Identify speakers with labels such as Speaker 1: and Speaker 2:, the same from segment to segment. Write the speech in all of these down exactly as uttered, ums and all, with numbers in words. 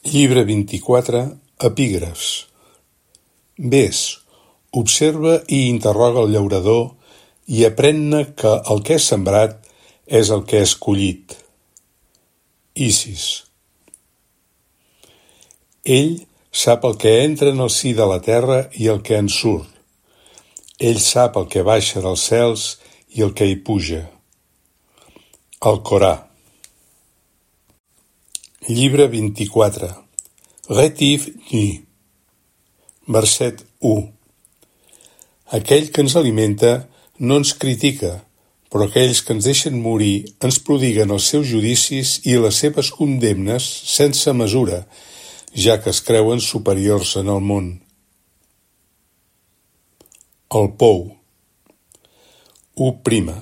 Speaker 1: Llibre vint-i-quatre, epígrafs. Ves, observa i interroga el llaurador i aprèn-ne que el que és sembrat és el que és collit. Isis. Ell sap el que entra en el si de la terra i el que en surt. Ell sap el que baixa dels cels i el que hi puja. El Corà. Llibre vint-i-quatre. Rétif nu. Verset u. Aquell que ens alimenta no ens critica, però aquells que ens deixen morir ens prodiguen els seus judicis i les seves condemnes sense mesura, ja que es creuen superiors en el món. El pou. u prima.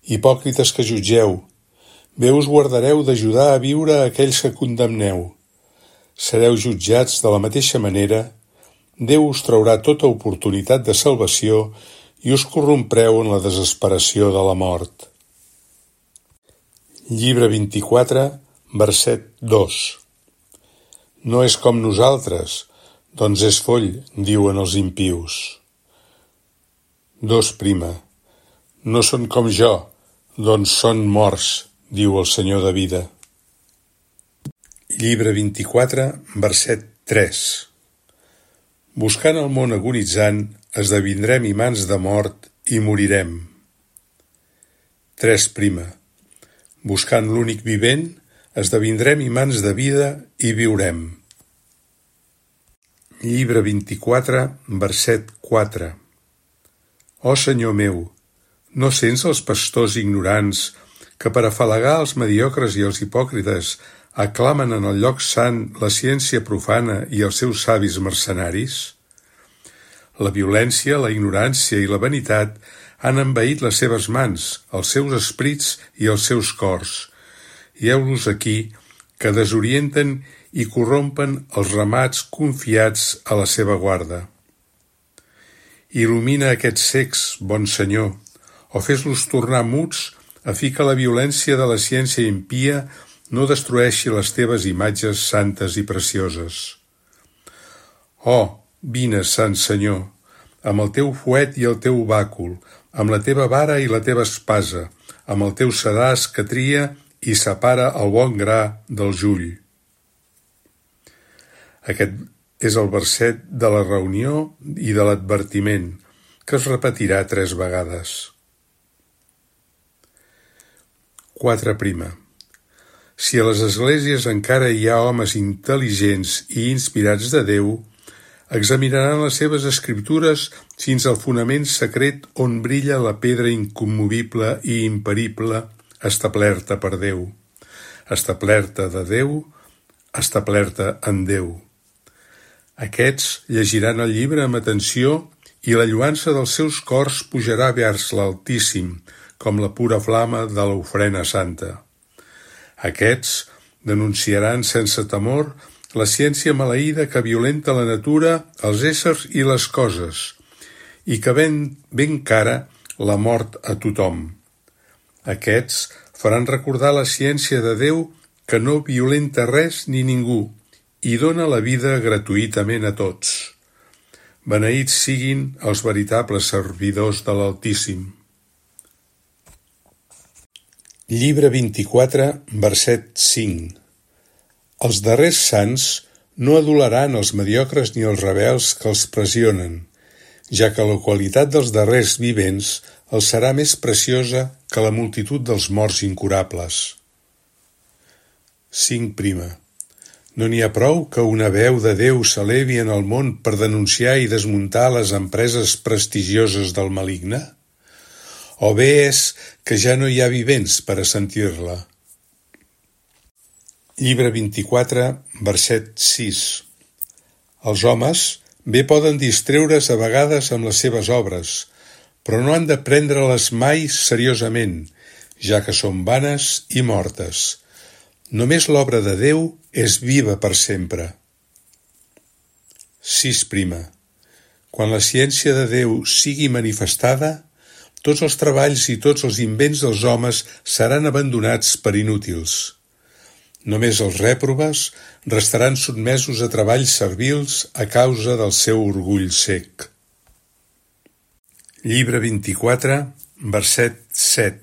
Speaker 1: Hipòcrites que jutgeu, bé us guardareu d'ajudar a viure a aquells que condemneu. Sereu jutjats de la mateixa manera, Déu us traurà tota oportunitat de salvació i us corrompreu en la desesperació de la mort. Llibre vint-i-quatre, verset dos. No és com nosaltres, doncs és foll, diuen els impius. Dos prima. No són com jo, doncs són morts, diu el Senyor de vida. Llibre vint-i-quatre, verset tres. Buscant el món agonitzant, esdevindrem imants de mort i morirem. Tres prima. Buscant l'únic vivent, esdevindrem imants de vida i viurem. Llibre vint-i-quatre, verset quatre. Ó Senyor meu, no sents els pastors ignorants que per afalagar els mediocres i els hipòcrites aclamen en el lloc sant la ciència profana i els seus savis mercenaris? La violència, la ignorància i la vanitat han envaït les seves mans, els seus esprits i els seus cors. I heu-los aquí, que desorienten i corrompen els ramats confiats a la seva guarda. Il·lumina aquests cecs, bon Senyor, o fes-los tornar muts a fi que la violència de la ciència impia no destrueixi les teves imatges santes i precioses. Oh, vine, Sant Senyor, amb el teu fuet i el teu bàcul, amb la teva vara i la teva espasa, amb el teu sedàs que tria i separa el bon gra del jull. Aquest és el verset de la reunió i de l'advertiment, que es repetirà tres vegades. Quatre prima. Si a les esglésies encara hi ha homes intel·ligents i inspirats de Déu, examinaran les seves escriptures fins al fonament secret on brilla la pedra incommovible i imperible establerta per Déu, establerta de Déu, establerta en Déu. Aquests llegiran el llibre amb atenció i la lluança dels seus cors pujarà vers l'Altíssim, com la pura flama de l'ofrena santa. Aquests denunciaran sense temor la ciència maleïda que violenta la natura, els éssers i les coses, i que ven ben cara la mort a tothom. Aquests faran recordar la ciència de Déu que no violenta res ni ningú i dona la vida gratuïtament a tots. Beneïts siguin els veritables servidors de l'Altíssim. Llibre vint-i-quatre, verset cinc. Els darrers sants no adularan els mediocres ni els rebels que els pressionen, ja que la qualitat dels darrers vivents els serà més preciosa que la multitud dels morts incurables. Cinc prima. No n'hi ha prou que una veu de Déu s'elevi en el món per denunciar i desmuntar les empreses prestigioses del maligne? O bé és que ja no hi ha vivents per a sentir-la. Llibre vint-i-quatre, verset sis. Els homes bé poden distreure's a vegades amb les seves obres, però no han de prendre-les mai seriosament, ja que són vanes i mortes. Només l'obra de Déu és viva per sempre. Sis prima. Quan la ciència de Déu sigui manifestada, tots els treballs i tots els invents dels homes seran abandonats per inútils. Només els rèprobes restaran sotmesos a treballs servils a causa del seu orgull cec. Llibre vint-i-quatre, verset set.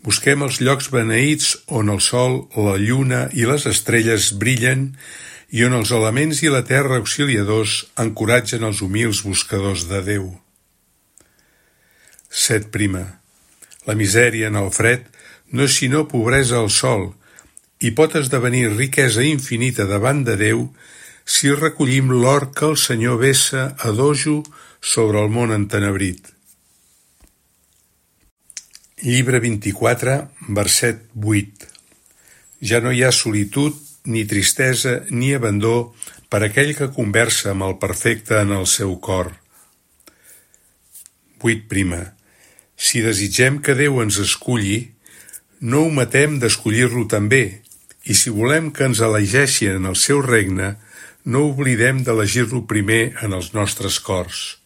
Speaker 1: Busquem els llocs beneïts on el sol, la lluna i les estrelles brillen i on els elements i la terra auxiliadors encoratgen els humils buscadors de Déu. set prima. La misèria en el fred no és sinó pobresa al sol i pot esdevenir riquesa infinita davant de Déu si recollim l'or que el Senyor vessa a dojo sobre el món entenebrit. Llibre vint-i-quatre, verset vuit. Ja no hi ha solitud, ni tristesa, ni abandó per aquell que conversa amb el perfecte en el seu cor. vuit prima. Si desitgem que Déu ens esculli, no ometem d'escollir-lo també, i si volem que ens elegeixi en el seu regne, no oblidem d'elegir-lo primer en els nostres cors.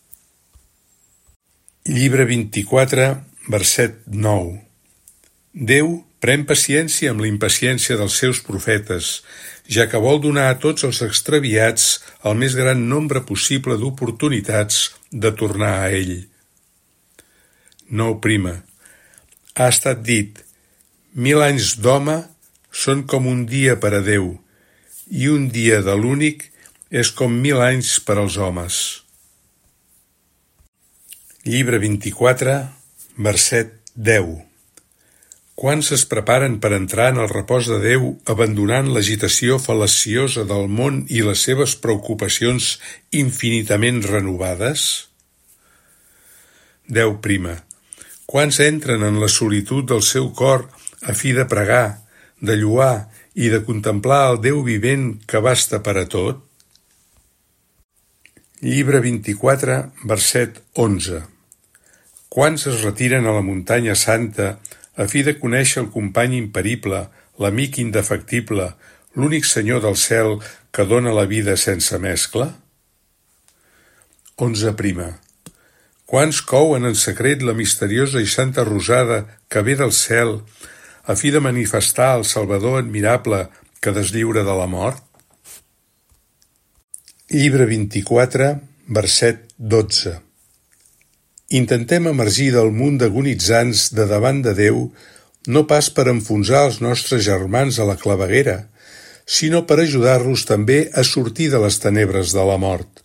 Speaker 1: Llibre vint-i-quatre, verset nou. Déu pren paciència amb la impaciència dels seus profetes, ja que vol donar a tots els extraviats el més gran nombre possible d'oportunitats de tornar a ell. nou prima. Ha estat dit, mil anys d'home són com un dia per a Déu, i un dia de l'únic és com mil anys per als homes. Llibre vint-i-quatre, verset deu. Quants es preparen per entrar en el repòs de Déu abandonant l'agitació fal·laciosa del món i les seves preocupacions infinitament renovades? deu prima. Quants entren en la solitud del seu cor a fi de pregar, de lloar i de contemplar el Déu vivent que basta per a tot? Llibre vint-i-quatre, verset onze. Quants es retiren a la muntanya santa a fi de conèixer el company imperible, l'amic indefectible, l'únic Senyor del cel que dóna la vida sense mescla? onze prima. Quants couen en secret la misteriosa i santa rosada que ve del cel a fi de manifestar el Salvador admirable que deslliura de la mort? Llibre vint-i-quatre, verset dotze. Intentem emergir del munt d'agonitzants de davant de Déu no pas per enfonsar els nostres germans a la claveguera, sinó per ajudar-los també a sortir de les tenebres de la mort.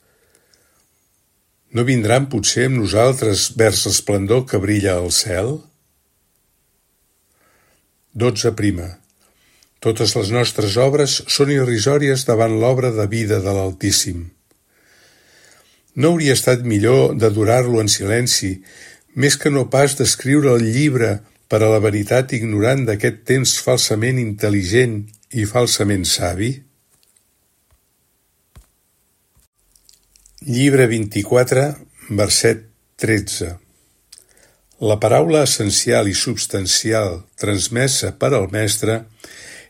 Speaker 1: No vindran potser amb nosaltres vers l'esplendor que brilla al cel? dotze prima. Totes les nostres obres són irrisòries davant l'obra de vida de l'Altíssim. No hauria estat millor d'adorar-lo en silenci, més que no pas d'escriure el llibre per a la veritat ignorant d'aquest temps falsament intel·ligent i falsament savi? Llibre vint-i-quatre, verset tretze. La paraula essencial i substancial transmesa per al Mestre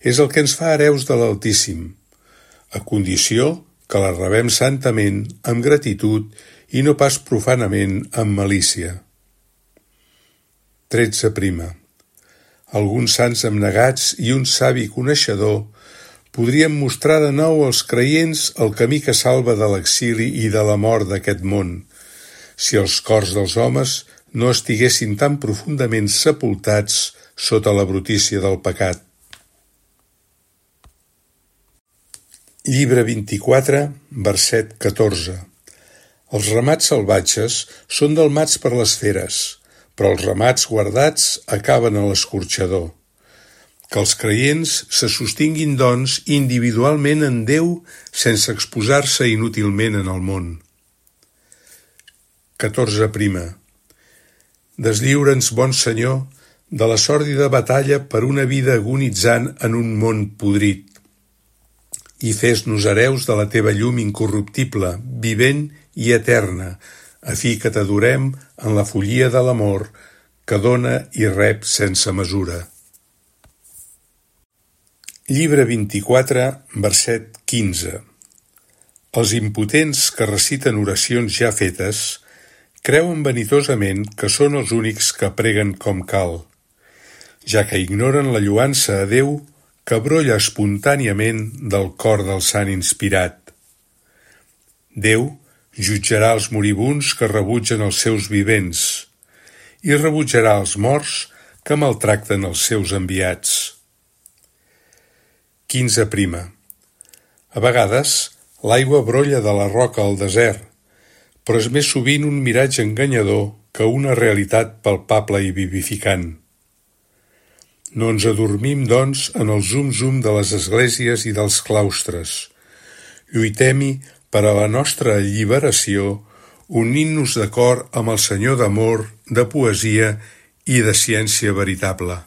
Speaker 1: és el que ens fa hereus de l'Altíssim, a condició que la rebem santament, amb gratitud i no pas profanament amb malícia. tretze prima. Alguns sants abnegats i un savi coneixedor podrien mostrar de nou als creients el camí que salva de l'exili i de la mort d'aquest món, si els cors dels homes no estiguessin tan profundament sepultats sota la brutícia del pecat. Llibre vint-i-quatre, verset catorze. Els ramats salvatges són delmats per les feres, però els ramats guardats acaben a l'escorxador. Que els creients se sostinguin, doncs, individualment en Déu sense exposar-se inútilment en el món. catorze prima. Deslliura'ns, bon Senyor, de la sòrdida batalla per una vida agonitzant en un món podrit, i fes-nos hereus de la teva llum incorruptible, vivent i eterna, a fi que t'adorem en la follia de l'amor que dona i rep sense mesura. Llibre vint-i-quatre, verset quinze. Els impotents que reciten oracions ja fetes creuen vanitosament que són els únics que preguen com cal, ja que ignoren la lloança a Déu que brolla espontàniament del cor del sant inspirat. Déu jutjarà els moribunds que rebutgen els seus vivents i rebutjarà els morts que maltracten els seus enviats. quinze prima. A vegades, l'aigua brolla de la roca al desert, però és més sovint un miratge enganyador que una realitat palpable i vivificant. No ens adormim, doncs, en el zum-zum de les esglésies i dels claustres. Lluitem-hi per a la nostra alliberació, unint-nos d'acord amb el Senyor d'amor, de poesia i de ciència veritable.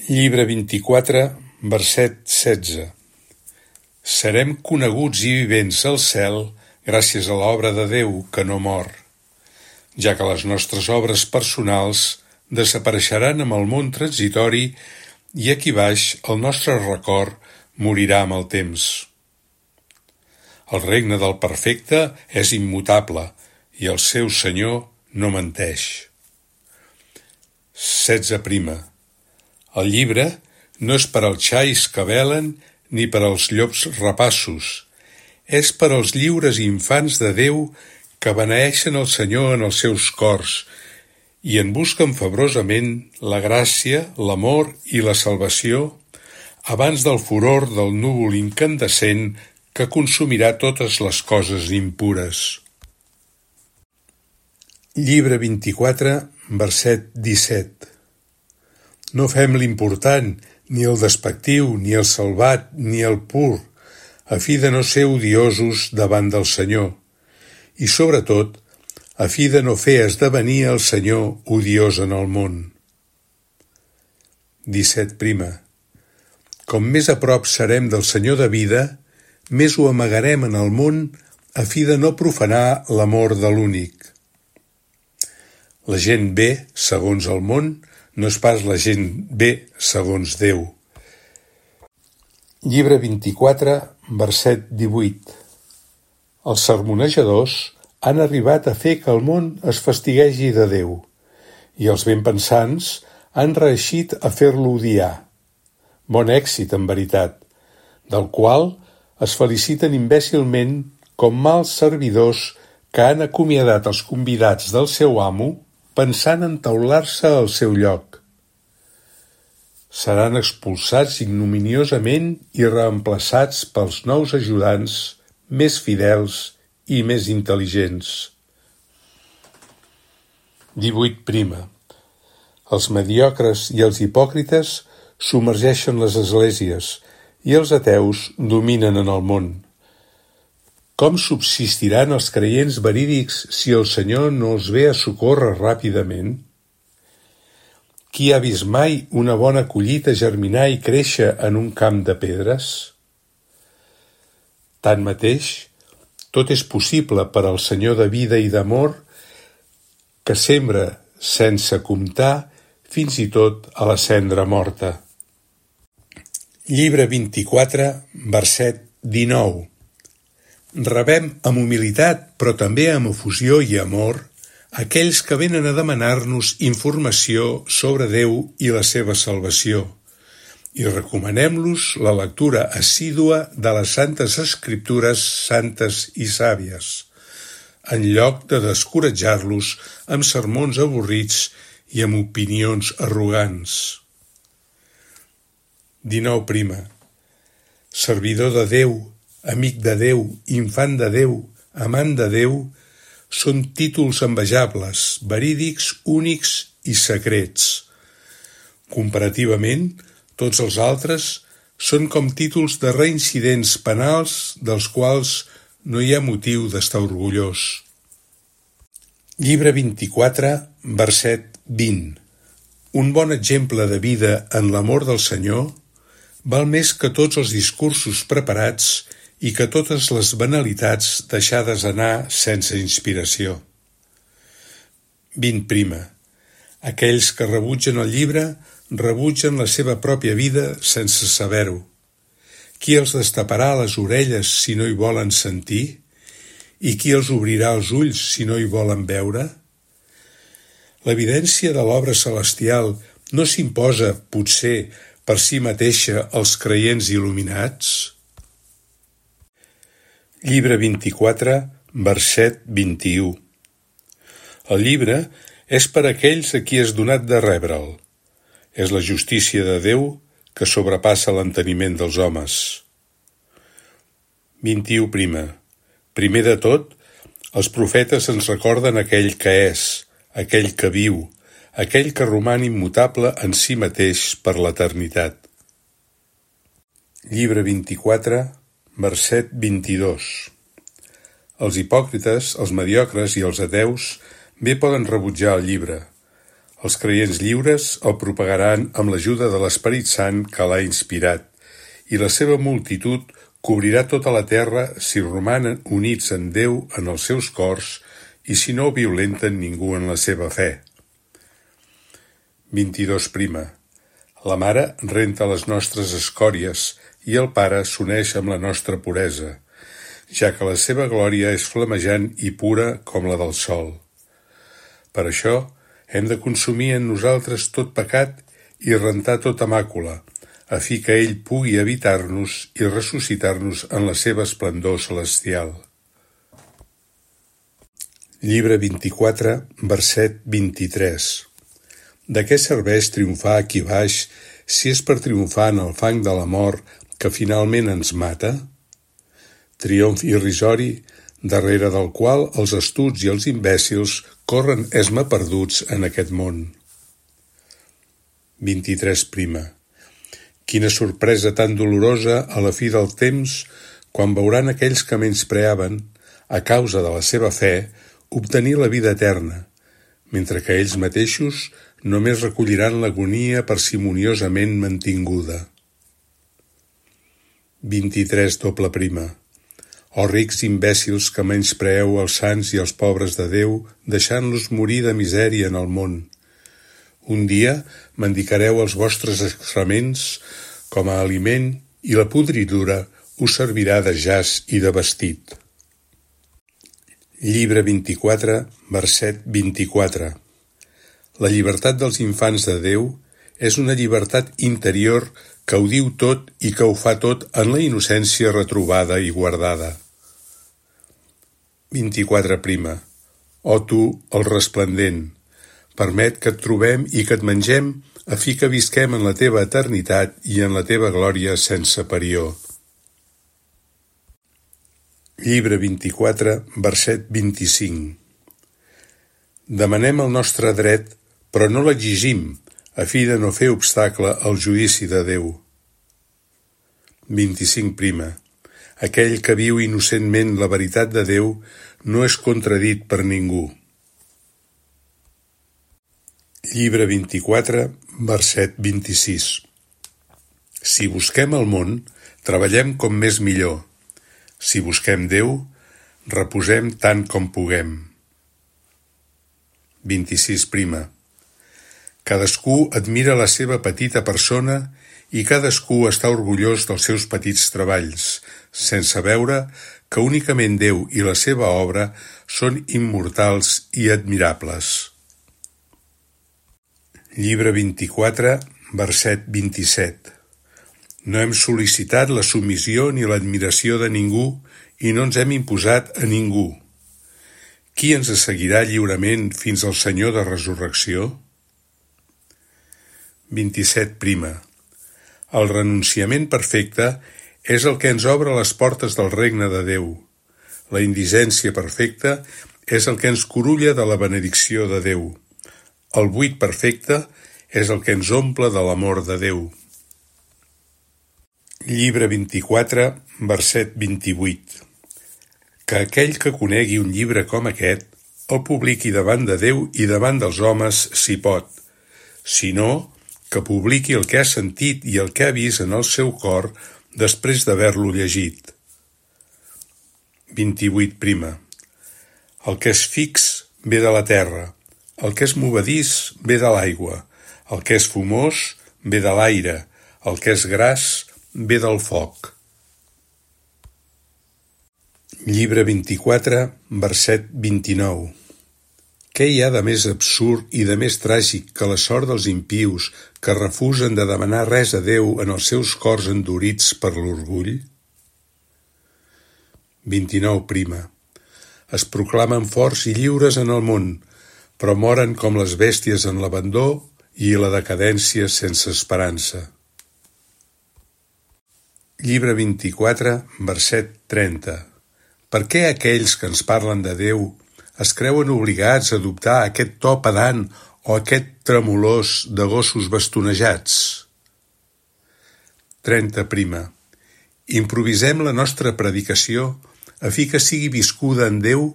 Speaker 1: Llibre vint-i-quatre, verset setze. Serem coneguts i vivents al cel gràcies a l'obra de Déu que no mor, ja que les nostres obres personals desapareixeran amb el món transitori i aquí baix el nostre record morirà amb el temps. El regne del perfecte és immutable i el seu Senyor no menteix. setze prima. El llibre no és per als xais que velen ni per als llops rapassos, és per als lliures infants de Déu que beneeixen el Senyor en els seus cors i en busquen febrosament la gràcia, l'amor i la salvació abans del furor del núvol incandescent que consumirà totes les coses impures. Llibre vint-i-quatre, verset disset. No fem l'important, ni el despectiu, ni el salvat, ni el pur, a fi de no ser odiosos davant del Senyor, i sobretot, a fi de no fer esdevenir el Senyor odiós en el món. disset prima. Com més a prop serem del Senyor de vida, més ho amagarem en el món a fi de no profanar l'amor de l'únic. La gent bé, segons el món, no és pas la gent bé, segons Déu. Llibre vint-i-quatre, verset divuit. Els sermonejadors han arribat a fer que el món es fastiguegi de Déu, i els benpensants han reeixit a fer-lo odiar. Bon èxit, en veritat, del qual es feliciten imbècilment com mals servidors que han acomiadat els convidats del seu amo pensant en taular-se al seu lloc. Seran expulsats ignominiosament i reemplaçats pels nous ajudants més fidels i més intel·ligents. divuit prima. Els mediocres i els hipòcrites submergeixen les esglésies i els ateus dominen en el món. Com subsistiran els creients verídics si el Senyor no els ve a socórrer ràpidament? Qui ha vist mai una bona collita germinar i créixer en un camp de pedres? Tanmateix, tot és possible per al Senyor de vida i d'amor que sembra sense comptar fins i tot a la cendra morta. Llibre vint-i-quatre, verset dinou. Rebem amb humilitat, però també amb efusió i amor, aquells que venen a demanar-nos informació sobre Déu i la seva salvació, i recomanem-los la lectura assídua de les Santes Escriptures santes i sàvies, en lloc de descoratjar-los amb sermons avorrits i amb opinions arrogants. dinou prima. Servidor de Déu, amic de Déu, infant de Déu, amant de Déu, són títols envejables, verídics, únics i secrets. Comparativament, tots els altres són com títols de reincidents penals dels quals no hi ha motiu d'estar orgullós. Llibre vint-i-quatre, verset vint. Un bon exemple de vida en l'amor del Senyor val més que tots els discursos preparats i que totes les banalitats deixades anar sense inspiració. vint prima. Aquells que rebutgen el llibre rebutgen la seva pròpia vida sense saber-ho. Qui els destaparà les orelles si no hi volen sentir? I qui els obrirà els ulls si no hi volen veure? L'evidència de l'obra celestial no s'imposa, potser, per si mateixa als creients il·luminats? Llibre vint-i-quatre, verset vint-i-u. El llibre és per aquells a qui és donat de rebre'l. És la justícia de Déu que sobrepassa l'enteniment dels homes. vint-i-u prima. Primer de tot, els profetes ens recorden aquell que és, aquell que viu, aquell que roman immutable en si mateix per l'eternitat. Llibre vint-i-quatre, verset vint-i-dos. Els hipòcrites, els mediocres i els ateus bé poden rebutjar el llibre. Els creients lliures el propagaran amb l'ajuda de l'Esperit Sant que l'ha inspirat, i la seva multitud cobrirà tota la terra si romanen units en Déu en els seus cors i si no violenten ningú en la seva fe. vint-i-dos prima. La mare renta les nostres escòries i el pare s'uneix amb la nostra puresa, ja que la seva glòria és flamejant i pura com la del sol. Per això hem de consumir en nosaltres tot pecat i rentar tota màcula, a fi que ell pugui habitar-nos i ressuscitar-nos en la seva esplendor celestial. Llibre vint-i-quatre, verset vint-i-tres. De què serveix triomfar aquí baix si és per triomfar en el fang de la mort que finalment ens mata? Triomf irrisori, darrere del qual els astuts i els imbècils corren esma perduts en aquest món. vint-i-tres prima. Quina sorpresa tan dolorosa a la fi del temps quan veuran aquells que menyspreaven, a causa de la seva fe, obtenir la vida eterna, mentre que ells mateixos només recolliran l'agonia parsimoniosament mantinguda. vint-i-tres doble prima. O rics imbècils que menyspreeu els sants i els pobres de Déu, deixant-los morir de misèria en el món. Un dia mendicareu els vostres excrements com a aliment i la podridura us servirà de jaç i de vestit. Llibre vint-i-quatre, verset vint-i-quatre. La llibertat dels infants de Déu és una llibertat interior que ho diu tot i que ho fa tot en la innocència retrobada i guardada. vint-i-quatre prima. O tu, el resplendent, permet que et trobem i que et mengem a fi que visquem en la teva eternitat i en la teva glòria sense parió. Llibre vint-i-quatre, verset vint-i-cinc. Demanem el nostre dret, però no l'exigim, a fi de no fer obstacle al judici de Déu. vint-i-cinc prima. Aquell que viu innocentment la veritat de Déu no és contradit per ningú. Llibre vint-i-quatre, verset vint-i-sis. Si busquem el món, treballem com més millor. Si busquem Déu, reposem tant com puguem. vint-i-sis prima. Cadascú admira la seva petita persona i cadascú està orgullós dels seus petits treballs, sense veure que únicament Déu i la seva obra són immortals i admirables. Llibre vint-i-quatre, verset vint-i-set. No hem sol·licitat la submissió ni l'admiració de ningú i no ens hem imposat a ningú. Qui ens seguirà lliurement fins al Senyor de resurrecció? vint-i-set prima. El renunciament perfecte és el que ens obre les portes del regne de Déu. La indigència perfecta és el que ens curulla de la benedicció de Déu. El buit perfecte és el que ens omple de l'amor de Déu. Llibre vint-i-quatre, verset vint-i-vuit. Que aquell que conegui un llibre com aquest el publiqui davant de Déu i davant dels homes si pot. Si no, que publiqui el que ha sentit i el que ha vist en el seu cor després d'haver-lo llegit. vint-i-vuit prima. El que és fix ve de la terra, el que és movedís ve de l'aigua, el que és fumós ve de l'aire, el que és gras ve del foc. Llibre vint-i-quatre, verset vint-i-nou. Què hi ha de més absurd i de més tràgic que la sort dels impius que refusen de demanar res a Déu en els seus cors endurits per l'orgull? vint-i-nou prima. Es proclamen forts i lliures en el món, però moren com les bèsties en l'abandó i la decadència sense esperança. Llibre vint-i-quatre, verset trenta. Per què aquells que ens parlen de Déu es creuen obligats a adoptar aquest to pedant o aquest tremolós de gossos bastonejats? trenta prima. Improvisem la nostra predicació a fi que sigui viscuda en Déu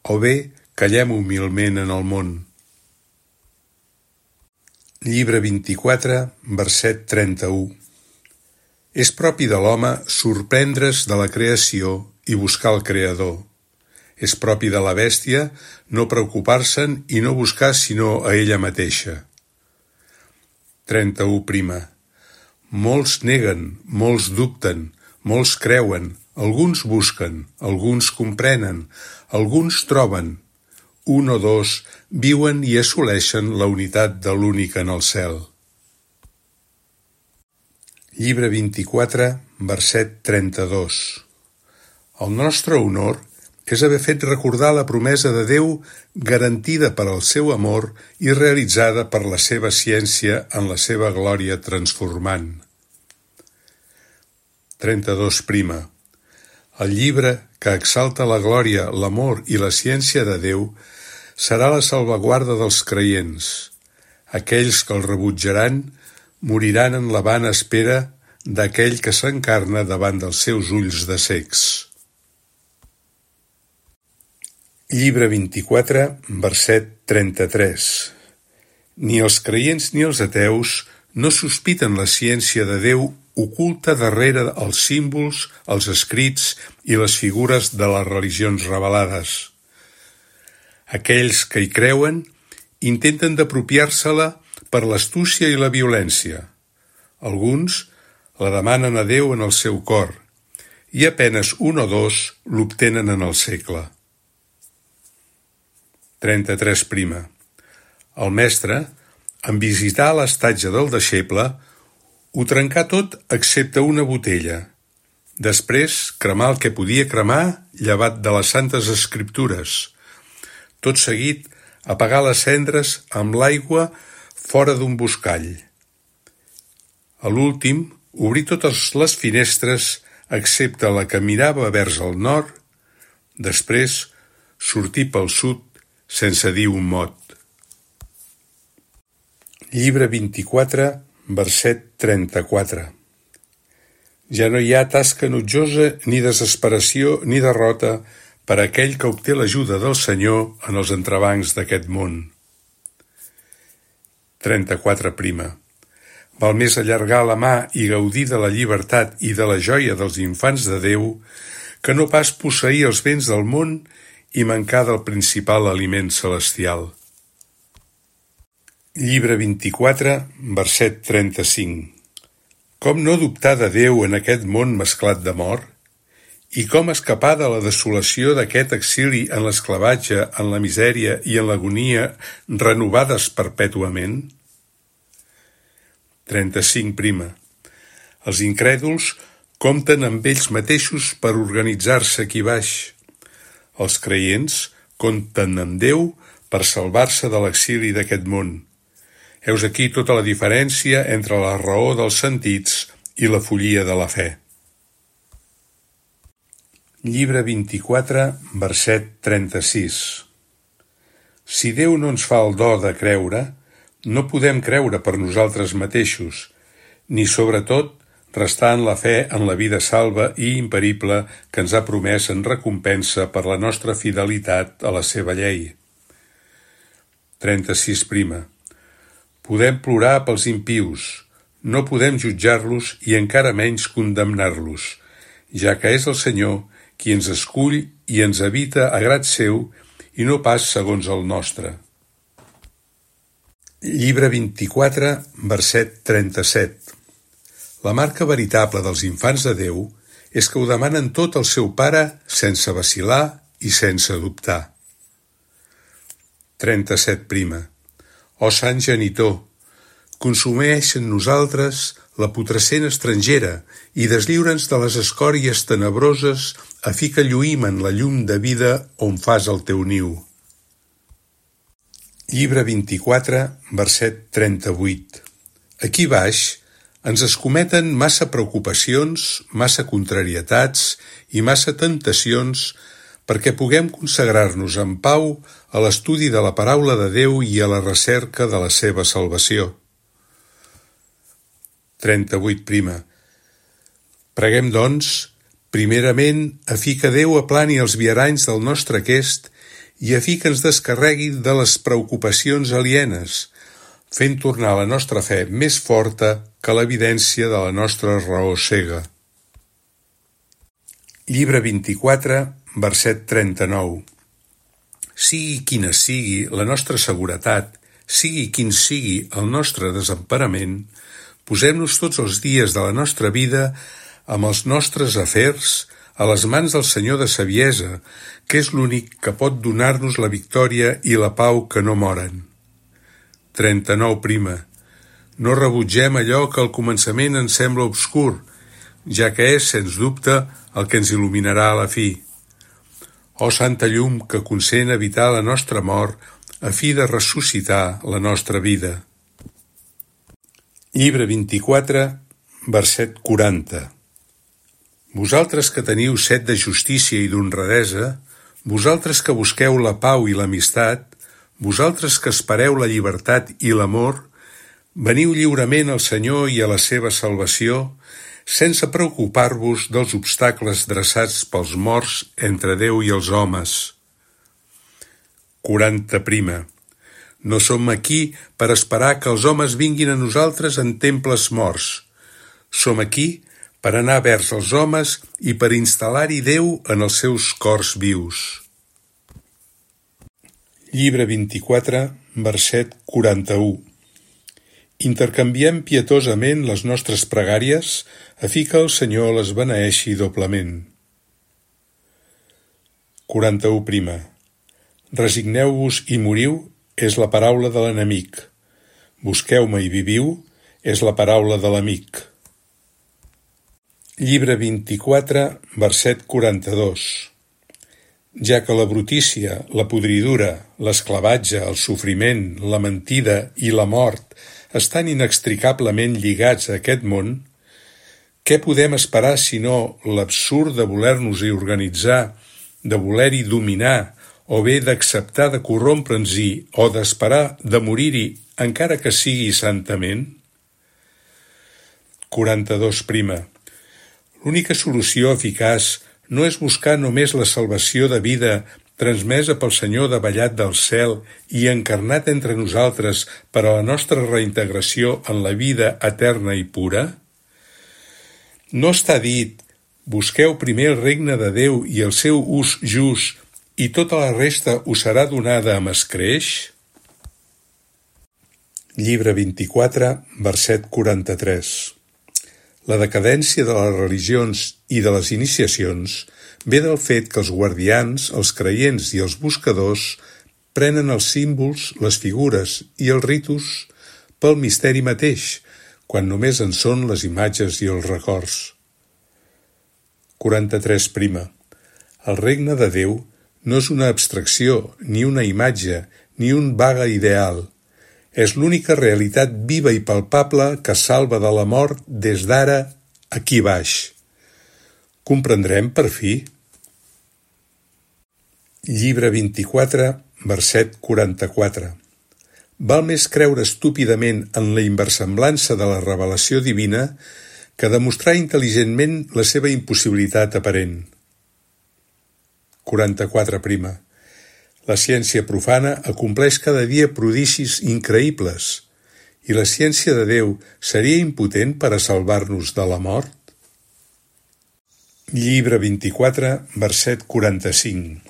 Speaker 1: o bé callem humilment en el món. Llibre vint-i-quatre, verset trenta-u. És propi de l'home sorprendre's de la creació i buscar el Creador. És propi de la bèstia no preocupar-se'n i no buscar sinó a ella mateixa. trenta-u prima. Molts neguen, molts dubten, molts creuen, alguns busquen, alguns comprenen, alguns troben. Un o dos viuen i assoleixen la unitat de l'únic en el cel. Llibre vint-i-quatre, verset trenta-dos. El nostre honor és haver fet recordar la promesa de Déu garantida per al seu amor i realitzada per la seva ciència en la seva glòria transformant. trenta-dos prima. El llibre que exalta la glòria, l'amor i la ciència de Déu serà la salvaguarda dels creients. Aquells que el rebutjaran moriran en la vana espera d'aquell que s'encarna davant dels seus ulls de cecs. Llibre vint-i-quatre, verset trenta-tres. Ni els creients ni els ateus no sospiten la ciència de Déu oculta darrere els símbols, els escrits i les figures de les religions revelades. Aquells que hi creuen intenten d'apropiar-se-la per l'astúcia i la violència. Alguns la demanen a Déu en el seu cor i apenes un o dos l'obtenen en el segle. trenta-tres prima. El mestre, en visitar l'estatge del deixeble, ho trencà tot excepte una botella. Després cremà el que podia cremar llevat de les santes escriptures. Tot seguit apagar les cendres amb l'aigua fora d'un buscall. A l'últim, obrir totes les finestres excepte la que mirava vers el nord, després sortir pel sud sense dir un mot. Llibre vint-i-quatre, verset trenta-quatre. Ja no hi ha tasca enutjosa, ni desesperació, ni derrota per a aquell que obté l'ajuda del Senyor en els entrebancs d'aquest món. trenta-quatre prima. Val més allargar la mà i gaudir de la llibertat i de la joia dels infants de Déu que no pas posseir els béns del món i mancar del principal aliment celestial. Llibre vint-i-quatre, verset trenta-cinc. Com no dubtar de Déu en aquest món mesclat de mort? I com escapar de la desolació d'aquest exili en l'esclavatge, en la misèria i en l'agonia renovades perpètuament? trenta-cinc prima. Els incrèduls compten amb ells mateixos per organitzar-se aquí baix. Els creients compten amb Déu per salvar-se de l'exili d'aquest món. Heus aquí tota la diferència entre la raó dels sentits i la follia de la fe. Llibre vint-i-quatre, verset trenta-sis. Si Déu no ens fa el do de creure, no podem creure per nosaltres mateixos, ni sobretot restar en la fe en la vida salva i imperible que ens ha promès en recompensa per la nostra fidelitat a la seva llei. trenta-sis prima. Podem plorar pels impius, no podem jutjar-los i encara menys condemnar-los, ja que és el Senyor qui ens escull i ens habita a grat seu i no pas segons el nostre. Llibre vint-i-quatre, verset trenta-set. La marca veritable dels infants de Déu és que ho demanen tot al seu Pare sense vacil·lar i sense dubtar. trenta-set prima. Ó Sant Genitor, consumeix en nosaltres la putrescent estrangera i deslliura'ns de les escòries tenebroses a fi que lluïm en la llum de vida on fas el teu niu. Llibre vint-i-quatre, verset trenta-vuit. Aquí baix ens escometen massa preocupacions, massa contrarietats i massa tentacions perquè puguem consagrar-nos en pau a l'estudi de la paraula de Déu i a la recerca de la seva salvació. trenta-vuit prima. Preguem, doncs, primerament, a fi que Déu aplani els viaranys del nostre aquest i a fi que ens descarregui de les preocupacions alienes, fent tornar la nostra fe més forta que l'evidència de la nostra raó cega. Llibre vint-i-quatre, verset trenta-nou. Sigui quina sigui la nostra seguretat, sigui quin sigui el nostre desemparament, posem-nos tots els dies de la nostra vida amb els nostres afers a les mans del Senyor de Saviesa, que és l'únic que pot donar-nos la victòria i la pau que no moren. trenta-nou prima. No rebutgem allò que al començament ens sembla obscur, ja que és, sens dubte, el que ens il·luminarà a la fi. Ó Santa Llum que consent evitar la nostra mort a fi de ressuscitar la nostra vida. Llibre vint-i-quatre, verset quaranta. Vosaltres que teniu set de justícia i d'honradesa, vosaltres que busqueu la pau i l'amistat, vosaltres que espereu la llibertat i l'amor, veniu lliurement al Senyor i a la seva salvació, sense preocupar-vos dels obstacles dreçats pels morts entre Déu i els homes. quaranta prima. No som aquí per esperar que els homes vinguin a nosaltres en temples morts. Som aquí per anar vers els homes i per instal·lar-hi Déu en els seus cors vius. Llibre vint-i-quatre, verset quaranta-u. Intercanviem pietosament les nostres pregàries a fi que el Senyor les beneeixi doblement. quaranta-u prima. Resigneu-vos i moriu és la paraula de l'enemic. Busqueu-me i viviu és la paraula de l'amic. Llibre vint-i-quatre, verset quaranta-dos. Ja que la brutícia, la podridura, l'esclavatge, el sofriment, la mentida i la mort estan inextricablement lligats a aquest món, què podem esperar sinó l'absurd de voler-nos-hi organitzar, de voler-hi dominar, o bé d'acceptar de corrompre'ns-hi o d'esperar de morir-hi, encara que sigui santament? quaranta-dos prima. L'única solució eficaç no és buscar només la salvació de vida transmesa pel Senyor davallat del cel i encarnat entre nosaltres per a la nostra reintegració en la vida eterna i pura? No està dit, busqueu primer el regne de Déu i el seu ús just i tota la resta us serà donada amb escreix? Llibre vint-i-quatre, verset quaranta-tres. La decadència de les religions i de les iniciacions ve del fet que els guardians, els creients i els buscadors prenen els símbols, les figures i els ritus pel misteri mateix, quan només en són les imatges i els records. quaranta-tres prima. El regne de Déu no és una abstracció, ni una imatge, ni un vague ideal. És l'única realitat viva i palpable que salva de la mort des d'ara aquí baix. Comprendrem per fi? Llibre vint-i-quatre, verset quaranta-quatre. Val més creure estúpidament en la inversemblança de la revelació divina que demostrar intel·ligentment la seva impossibilitat aparent. quaranta-quatre prima. La ciència profana acompleix cada dia prodigis increïbles i la ciència de Déu seria impotent per a salvar-nos de la mort? Llibre vint-i-quatre, verset quaranta-cinc.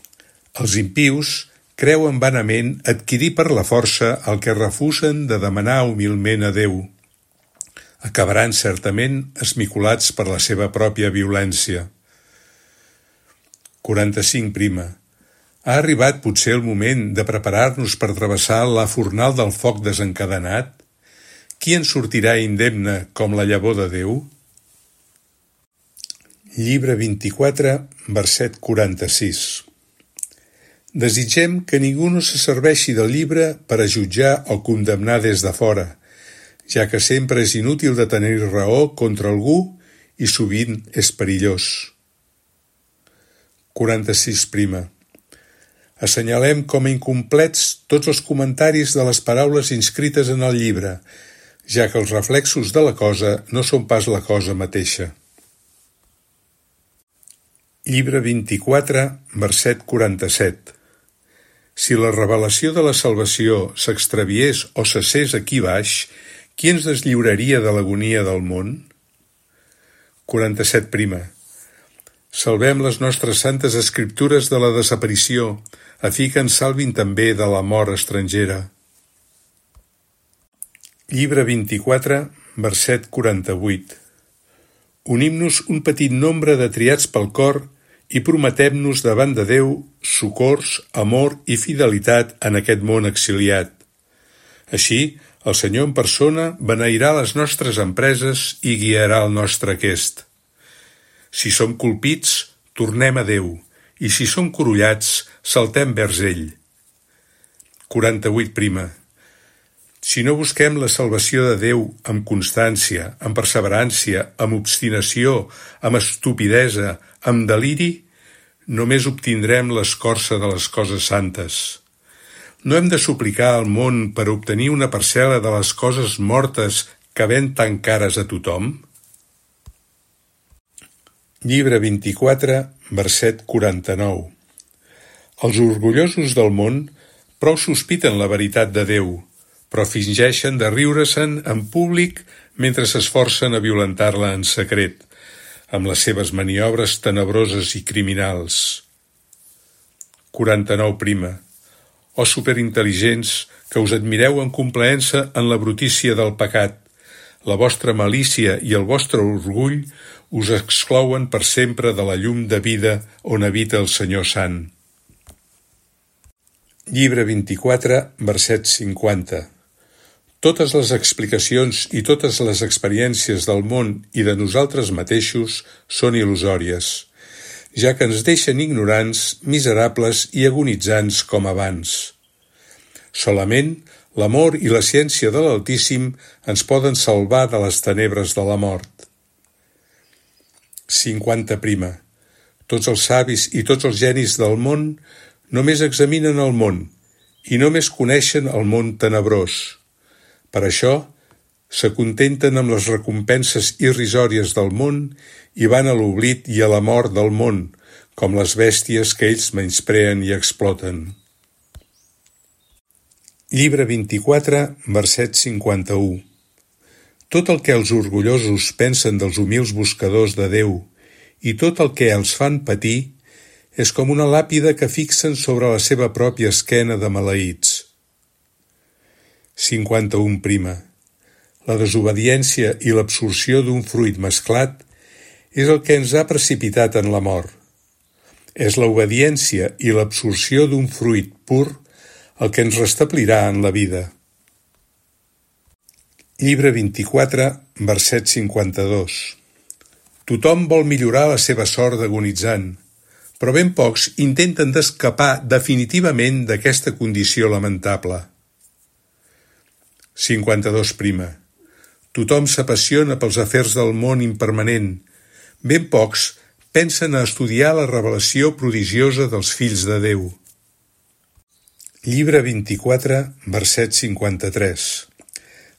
Speaker 1: Els impius creuen vanament adquirir per la força el que refusen de demanar humilment a Déu. Acabaran certament esmicolats per la seva pròpia violència. quaranta-cinc prima. Ha arribat potser el moment de preparar-nos per travessar la fornal del foc desencadenat? Qui en sortirà indemne com la llavor de Déu? Llibre vint-i-quatre, verset quaranta-sis. Desitgem que ningú no se serveixi del llibre per a jutjar o condemnar des de fora, ja que sempre és inútil de tenir raó contra algú i sovint és perillós. quaranta-sis prima. Assenyalem com a incomplets tots els comentaris de les paraules inscrites en el llibre, ja que els reflexos de la cosa no són pas la cosa mateixa. Llibre vint-i-quatre, verset quaranta-set. Si la revelació de la salvació s'extraviés o cessés aquí baix, qui ens deslliuraria de l'agonia del món? quaranta-set prima. Salvem les nostres santes escriptures de la desaparició, a fi que ens salvin també de la mort estrangera. Llibre vint-i-quatre, verset quaranta-vuit. Unim-nos un petit nombre de triats pel cor i prometem-nos davant de Déu socors, amor i fidelitat en aquest món exiliat. Així, el Senyor en persona beneirà les nostres empreses i guiarà el nostre aquest. Si som colpits, tornem a Déu, i si som corollats, saltem vers ell. quaranta-vuit prima. Si no busquem la salvació de Déu amb constància, amb perseverància, amb obstinació, amb estupidesa, amb deliri, només obtindrem l'escorça de les coses santes. No hem de suplicar al món per obtenir una parcel·la de les coses mortes que ven tan cares a tothom? Llibre vint-i-quatre, verset quaranta-nou. Els orgullosos del món prou sospiten la veritat de Déu, però fingeixen de riure-se'n en públic mentre s'esforcen a violentar-la en secret, amb les seves maniobres tenebroses i criminals. quaranta-nou prima. O superintel·ligents, que us admireu en complaença en la brutícia del pecat, la vostra malícia i el vostre orgull us exclouen per sempre de la llum de vida on habita el Senyor Sant. Llibre vint-i-quatre, verset cinquanta. Totes les explicacions i totes les experiències del món i de nosaltres mateixos són il·lusòries, ja que ens deixen ignorants, miserables i agonitzants com abans. Solament l'amor i la ciència de l'Altíssim ens poden salvar de les tenebres de la mort. cinquanta prima. Tots els savis i tots els genis del món només examinen el món i només coneixen el món tenebrós. Per això, s'acontenten amb les recompenses irrisòries del món i van a l'oblit i a la mort del món, com les bèsties que ells menyspreen i exploten. Llibre vint-i-quatre, verset cinquanta-u. Tot el que els orgullosos pensen dels humils buscadors de Déu i tot el que els fan patir és com una làpida que fixen sobre la seva pròpia esquena de maleïts. cinquanta-u prima. La desobediència i l'absorció d'un fruit mesclat és el que ens ha precipitat en la mort. És l'obediència i l'absorció d'un fruit pur el que ens restablirà en la vida. Llibre vint-i-quatre, verset cinquanta-dos. Tothom vol millorar la seva sort d'agonitzant, però ben pocs intenten d'escapar definitivament d'aquesta condició lamentable. cinquanta-dos prima. Tothom s'apassiona pels afers del món impermanent. Ben pocs pensen a estudiar la revelació prodigiosa dels fills de Déu. Llibre vint-i-quatre, verset cinquanta-tres.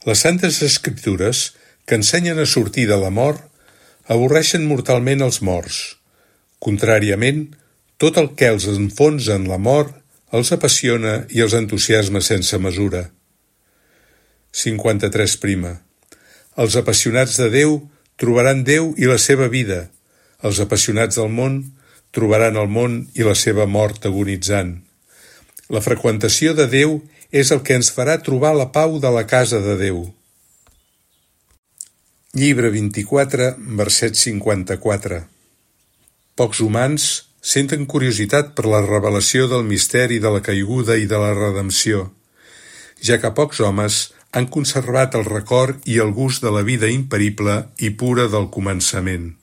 Speaker 1: Les santes escriptures, que ensenyen a sortir de la mort, avorreixen mortalment els morts. Contràriament, tot el que els enfonsa en la mort els apassiona i els entusiasma sense mesura. cinquanta-tres prima. Els apassionats de Déu trobaran Déu i la seva vida. Els apassionats del món trobaran el món i la seva mort agonitzant. La freqüentació de Déu és el que ens farà trobar la pau de la casa de Déu. Llibre vint-i-quatre, verset cinquanta-quatre. Pocs humans Senten curiositat per la revelació del misteri de la caiguda i de la redempció, ja que pocs homes han conservat el record i el gust de la vida imperible i pura del començament.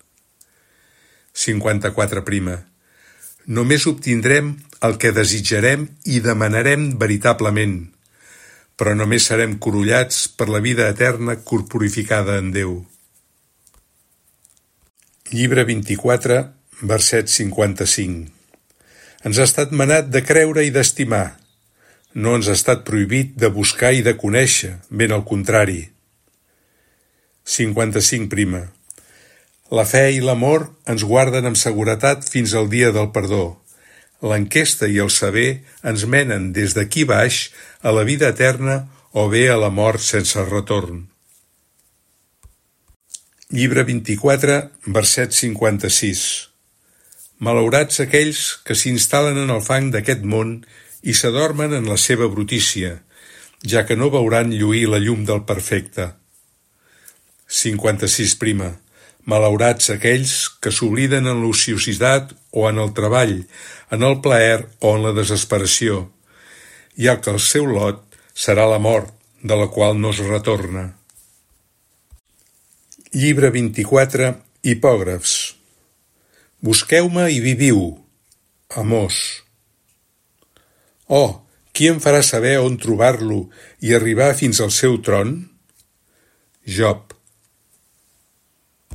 Speaker 1: cinquanta-quatre prima. Només obtindrem el que desitjarem i demanarem veritablement, però només serem corollats per la vida eterna corporificada en Déu. Llibre vint-i-quatre, verset cinquanta-cinc. Ens ha estat manat de creure i d'estimar. No ens ha estat prohibit de buscar i de conèixer, ben al contrari. cinquanta-cinc prima. La fe i l'amor ens guarden amb seguretat fins al dia del perdó. L'enquesta i el saber ens menen des d'aquí baix a la vida eterna o bé a la mort sense retorn. Llibre vint-i-quatre, verset cinquanta-sis. Malaurats aquells que s'instal·len en el fang d'aquest món i s'adormen en la seva brutícia, ja que no veuran lluir la llum del perfecte. cinquanta-sis prima. Malaurats aquells que s'obliden en l'ociositat o en el treball, en el plaer o en la desesperació, ja que el seu lot serà la mort, de la qual no es retorna. Llibre vint-i-quatre, Hipògrafs. Busqueu-me i viviu, Amós. Oh, qui em farà saber on trobar-lo i arribar fins al seu tron? Job.